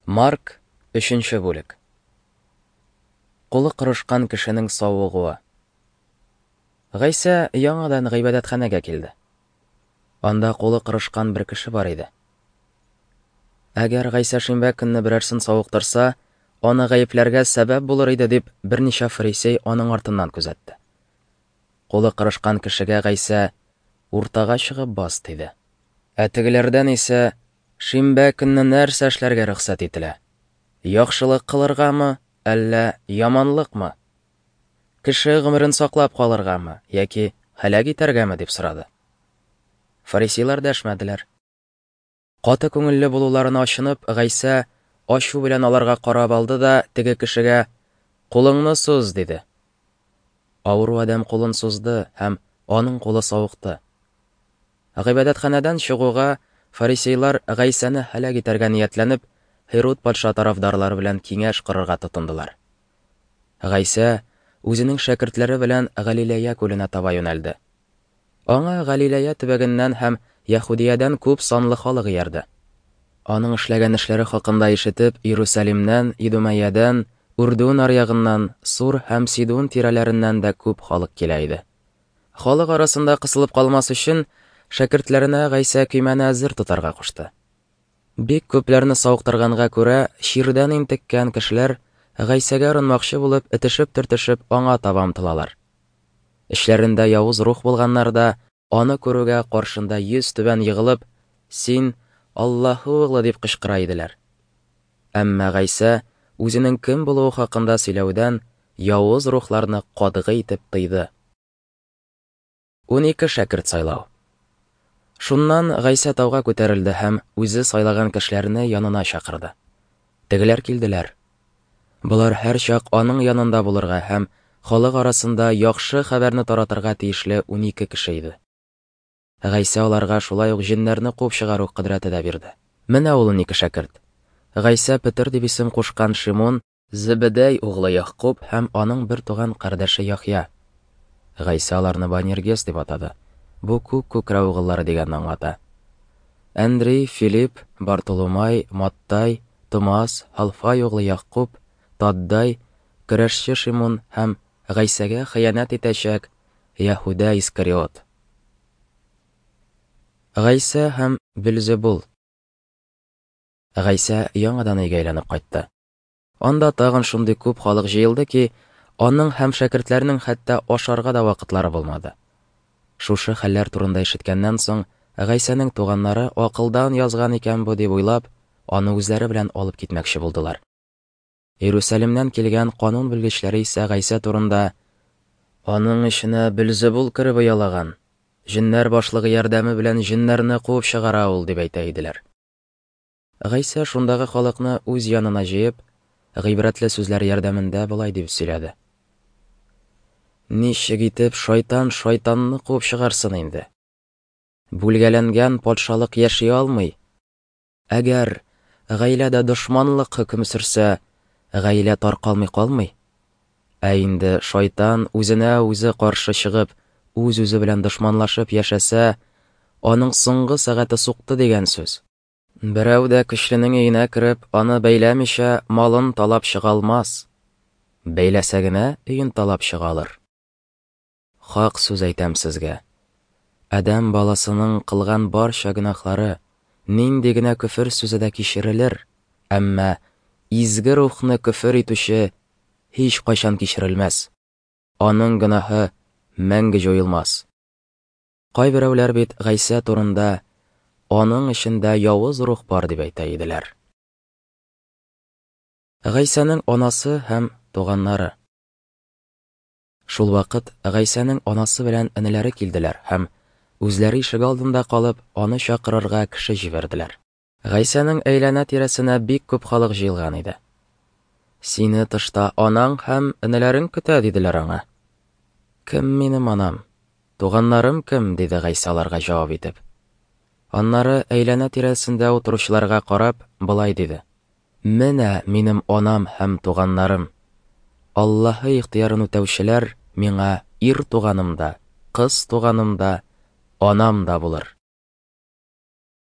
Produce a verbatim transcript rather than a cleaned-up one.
Марк, өченче бүлек. Кулы корышкан кешенең савыгуы. Гайсә яңадан гыйбадәтханәгә килде. Анда кулы корышкан бер кеше бар иде. Әгәр Гайсә шимбә көнне берәрсен савыктырса, аны гаепләргә сәбәп булыр иде дип, берничә фарисей аның артыннан күзәтте. Кулы корышкан кешегә Гайсә: "Уртага чыгып бас", диде. Ә тегеләрдән исә: "Шимбә көнне нәрсә эшләргә рөхсәт ителә? Яхшылык кылыргамы, әллә яманлыкмы? Кеше гомерен саклап калыргамы яки һәлак итәргәме?" дип сорады. Фарисейлар дәшмәделәр. Каты күңелле булуларына ачынып, Гайсә ачу белән аларга карап алды да теге кешегә: "Кулыңны суз", диде. Авыру адәм кулын сузды, һәм аның кулы савыкты. Гыйбадәтханәдән чыгуга, фарисейлар Гайсәне һәлак итәргә ниятләнеп, Һируд патша тарафдарлары белән киңәш корырга тотындылар. Гайсә үзенең шәкертләре белән Галилея күленә таба юнәлде. Аңа Галилея төбәгеннән һәм Яһүдиядән күп санлы халык иярде. Аның эшләгән эшләре хакында ишетеп, Иерусалимнән, Идумәядән, Үрдүн аръягыннан, Сур һәм Сидун тирәләреннән дә күп халык килә иде. Халык арасында кысылып калмас өчен, шәкертләренә Гайсә көймәне әзер тотарга кушты. Бик күпләрне савыктырганга күрә, чирдән интеккән кешеләр Гайсәгә орынмакчы булып, этешеп-төртешеп аңа таба омтылалар. Эчләрендә явыз рух булганнар да аны күрүгә каршында йөз түбән егылып, "Син Аллаһы углы" дип кычкыра иделәр. Әмма Гайсә үзенең кем булуы хакында сөйләүдән явыз рухларны катгый итеп тыйды. Унике шәкерт сайлау. Шуннан Гайсә тауга күтәрелде һәм үзе сайлаган кешеләрне янына чакырды. Тегеләр килделәр. Болар һәрчак аның янында булырга һәм халык арасында яхшы хәбәрне таратырга тиешле унике кеше иде. Гайсә аларга шулай ук җеннәрне куып чыгару кодрәте дә бирде. Менә ул унике шәкерт. Гайсә Петер дип исем кушкан Шимон, Зебедәй углы Ягъкуб һәм аның бер туган кардәше Яхъя. Гайсә аларны Банергес дип атады. Бу күк күкрәү угыллары дигәнне аңлата. Андрей, Филипп, Бартоломай, Маттай, Томас, Халфай углы Ягъкуб, Таддай, көрәшче Шимон һәм Гайсәгә хыянәт итәчәк Яһүдә Искариот. Гайсә һәм Белзебул. Гайсә яңадан өйгә әйләнеп кайтты. Анда тагын шундый күп халык җыелды ки, аның һәм шәкертләренең хәтта ашарга да вакытлары булмады. Шушы хәлләр турында ишеткәннән соң, Гайсәнең туганнары акылдан язган икән бу дип уйлап, аны үзләре белән алып китмәкче булдылар. Иерусалимнән килгән канун белгечләре исә Гайсә турында: "Аның эченә Белзебул кереп оялаган, җеннәр башлыгы ярдәме белән җеннәрне куып чыгара ул", дип әйтә иделәр. Гайсә шундагы халыкны үз янына җыеп, гыйбрәтле сүзләр ярдәмендә болай дип сөйләде: "Ничек итеп шайтан шайтанны куып чыгарсын инде? Бүлгәләнгән патшалык яши алмый. Әгәр гаиләдә дошманлык хөкем сөрсә, гаилә таркалмый калмый. Ә инде шайтан үзенә үзе каршы чыгып, үз-үзе белән дошманлашып яшәсә, аның соңгы сәгате сукты дигән сүз. Берәү дә көчленең өенә кереп, аны бәйләмичә, малын талап чыга алмас. Бәйләсә генә өен талап чыга алыр. Хак сүз әйтәм сезгә, адәм баласының кылган барча гөнаһлары, нинди генә көфер сүзе дә кичерелер, әмма изге рухны көфер итүче һич кайчан кичерелмәс. Аның гөнаһы мәңге җуелмас." Кайберәүләр бит Гайсә турында: "Аның эчендә явыз рух бар", дип әйтә иделәр. Гайсәнең анасы һәм туганнары. Шул вакыт Гайсәнең анасы белән энеләре килделәр һәм үзләре ишек алдында калып, аны чакырырга кеше җибәрделәр. Гайсәнең әйләнә тирәсенә бик күп халык җыелган иде. "Сине тышта анаң һәм энеләрең көтә", диделәр аңа. "Кем минем анам? Туганнарым кем?" диде Гайсә аларга җавап итеп. Аннары әйләнә тирәсендә утыручыларга карап, болай диде: "Менә минем анам һәм туганнарым. Аллаһы ихтыярын үтәүчеләр миңа ир туганым да, кыз туганым да, анам да булыр."